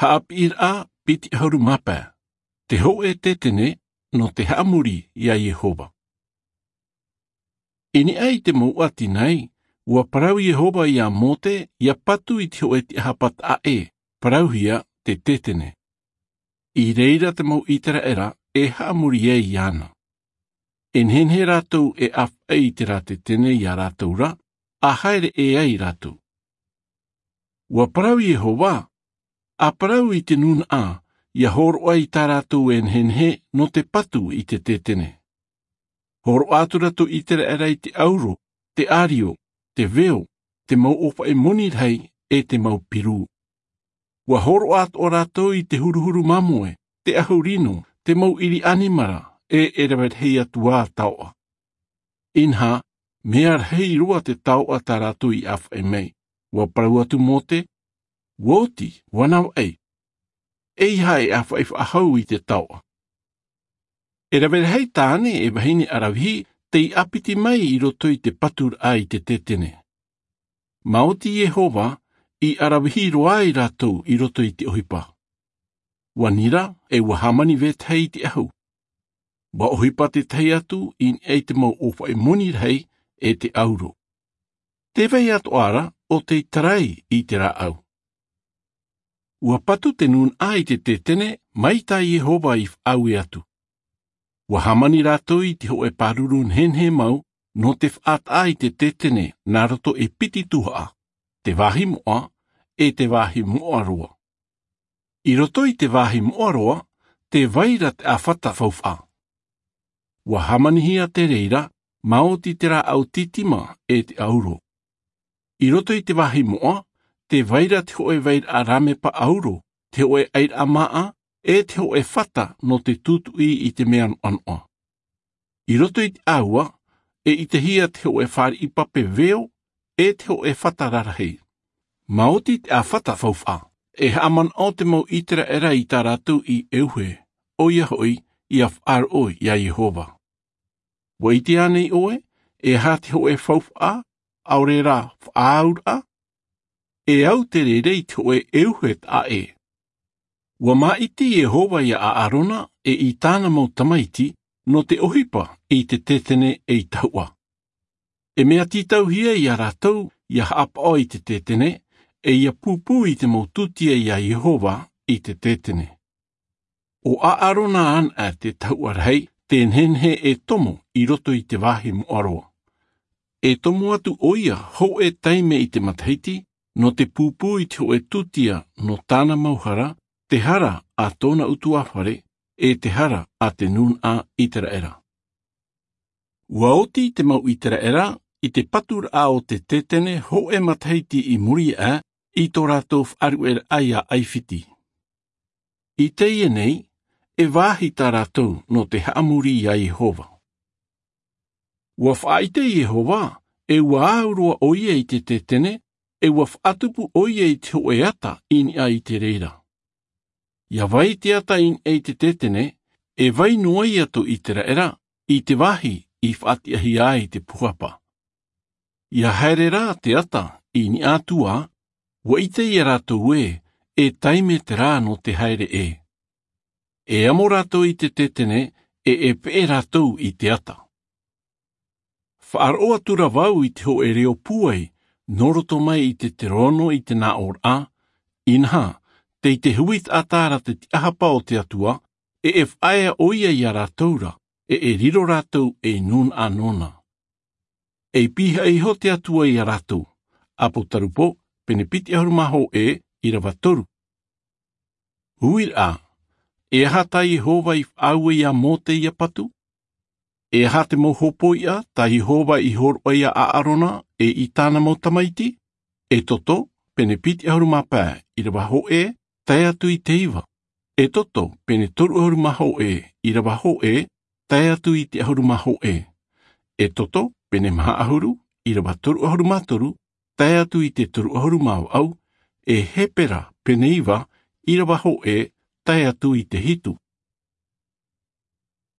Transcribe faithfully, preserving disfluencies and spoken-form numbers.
Haʻapiʻiraʻa piti ʻahuru mā pae. Te hōʻē tētene nō te haʻamori iā Iehova. I niʻa i te mau ʻati nei, ua parau Iehova iā Mōte ʻia patu i te hōʻē tiʻahapa taʻa ʻē, parauhia te tētene. I reira te mau ʻĪteraʻera e haʻamori ai iāna. E nehenehe rātou e ʻāfaʻi i terā tētene iā rātou ra, ʻa haere ʻē ai rātou. Ua parau Iehova, ʻa parau i te nūnaʻa, ʻia hōroʻa i tā rātou e nehenehe nō te patu i te tētene. Hōroʻa atu rātou ʻĪteraʻera i te ʻauro, te ʻārio, te veo, te mau ʻōfaʻi moni rahi, e te mau pirū. Ua hōroʻa atoʻa rātou i te huruhuru māmoe, te ʻahu rino, te mau ʻiri ʻanimara, e e rave rahi atu ā taoʻa. Inaha, mea rahi roa te taoʻa tā rātou i ʻāfaʻi mai. Ua parau atu Mōte, ua oti, ua navaʻi. ʻEiaha e ʻāfaʻi faʻahou i te taoʻa. E rave rahi tāne e vahine ʻaravihi tei ʻāpiti mai i roto i te paturaʻa i te tētene. Maoti Iehova, i ʻaravihi roa ai rātou i roto i te ʻohipa. Ua nira, e ua hāmani vetahi i te ʻahu. Ua ʻohipa tētahi atu i niʻa i te mau ʻōfaʻi moni rahi e te ʻauro. Tē vai atoʻa ra ʻo tei tarai i te rāʻau. Ua patu te nūnaʻa i te tētene mai tā Iehova i faʻaue atu. Ua hāmani rātou i te hōʻē pāruru nehenehe mau nō te faʻataʻa i te tētene nā roto e piti tuhaʻa, te vāhi moʻa, e te vāhi moʻa roa. I roto i te vāhi moʻa roa, tē vai ra te ʻāfata faufaʻa. Ua hāmanihia te reira, maoti te rāʻau tītima e te ʻauro. I roto i te vāhi moʻa, tē vai ra te hōʻē vairaʻa rāmepa ʻauro, te hōʻē ʻairaʻa māʻa, e te hōʻē fata nō te tūtuʻi i te mea noʻanoʻa. I roto i te ʻāua, e ʻitehia te hōʻē fāriʻi pape veo, e te hōʻē fata rarahi. Maoti te ʻāfata faufaʻa, e haʻamanaʻo te mau ʻĪteraʻera i tā rātou i ʻeuhe, ʻoia hoʻi, ʻia faʻaroʻo iā Iehova. Ua ʻite ānei ʻoe, e aha te hōʻē faufaʻa, ʻaore rā faʻaauraʻa? E au te reira i te hōʻē ʻeuhe taʻa ʻē. Ua māʻiti Iehova iā ʻĀrona e i tāna mau tamaiti, nō te ʻohipa i te tētene ei tahuʻa. E mea tītauhia iā rātou ʻia haʻapaʻo i te tētene, e ʻia pūpū i te mau tūtia iā Iehova i te tētene. ʻO ʻĀrona anaʻe te tahuʻa rahi, tē nehenehe e tomo i roto i te vāhi moʻa roa. E tomo atu ʻoia hōʻē taime i te matahiti, nō te pūpū i te hōʻē tūtia nō tāna mau hara, te hara a tōna ʻutuāfare, e te hara a te nūnaʻa ʻĪteraʻera. Ua oti te mau ʻĪteraʻera i te paturaʻa o te tētene hōʻē matahiti i muri aʻe i tō rātou faʻaruʻeraʻa iā ʻAifiti. I teie nei, e vāhi tā rātou nō te haʻamori iā Iehova. Ua faʻaʻite Iehova, e ua au roa ʻoia i te tētene, e ua faʻatupu ʻoia i te hōʻē ata i niʻa i te reira. ʻIa vai te ata i niʻa i te tētene, e vai noa ia tō ʻĪteraʻera, i te vāhi i faʻatiʻahia ai te pūhapa. ʻIa haere rā te ata i niʻa atu ā, ua ʻite ia rātou ē, e taime terā nō te haere ʻē. E amo rātou i te tētene, e e peʻe rātou i te ata. Faʻaroʻo atu ra vau i te hōʻē reo pūai, nō roto mai i te terono i te nāʻōraʻa, inaha, tei te hui taʻata ra te tiʻahapa o te Atua, e e faʻaea ʻoia iā rātou ra, e e riro rātou ei nūnaʻa nōna. E pīhaʻi iho te Atua iā rātou. ʻApotarupo, pene piti ʻahuru mā hōʻē, ʻīrava toru. Uiraʻa, e aha tā Iehova i faʻaue iā Mōte ʻia patu? E aha te mau hōpoiʻa tā Iehova i hōroʻa iā ʻĀrona e i tāna mau tamaiti? ʻEtoto, pene piti ʻahuru mā pae, ʻīrava hōʻē, tae atu i te iva. ʻEtoto, pene toru ʻahuru mā hōʻē, ʻīrava hōʻē, tae atu i te ʻahuru mā hōʻē. ʻEtoto, pene maha ʻahuru, ʻīrava toru ʻahuru mā toru, tae atu i te toru ʻahuru mā vaʻu, e Hepera, pene iva, ʻīrava hōʻē, tae atu i te hitu.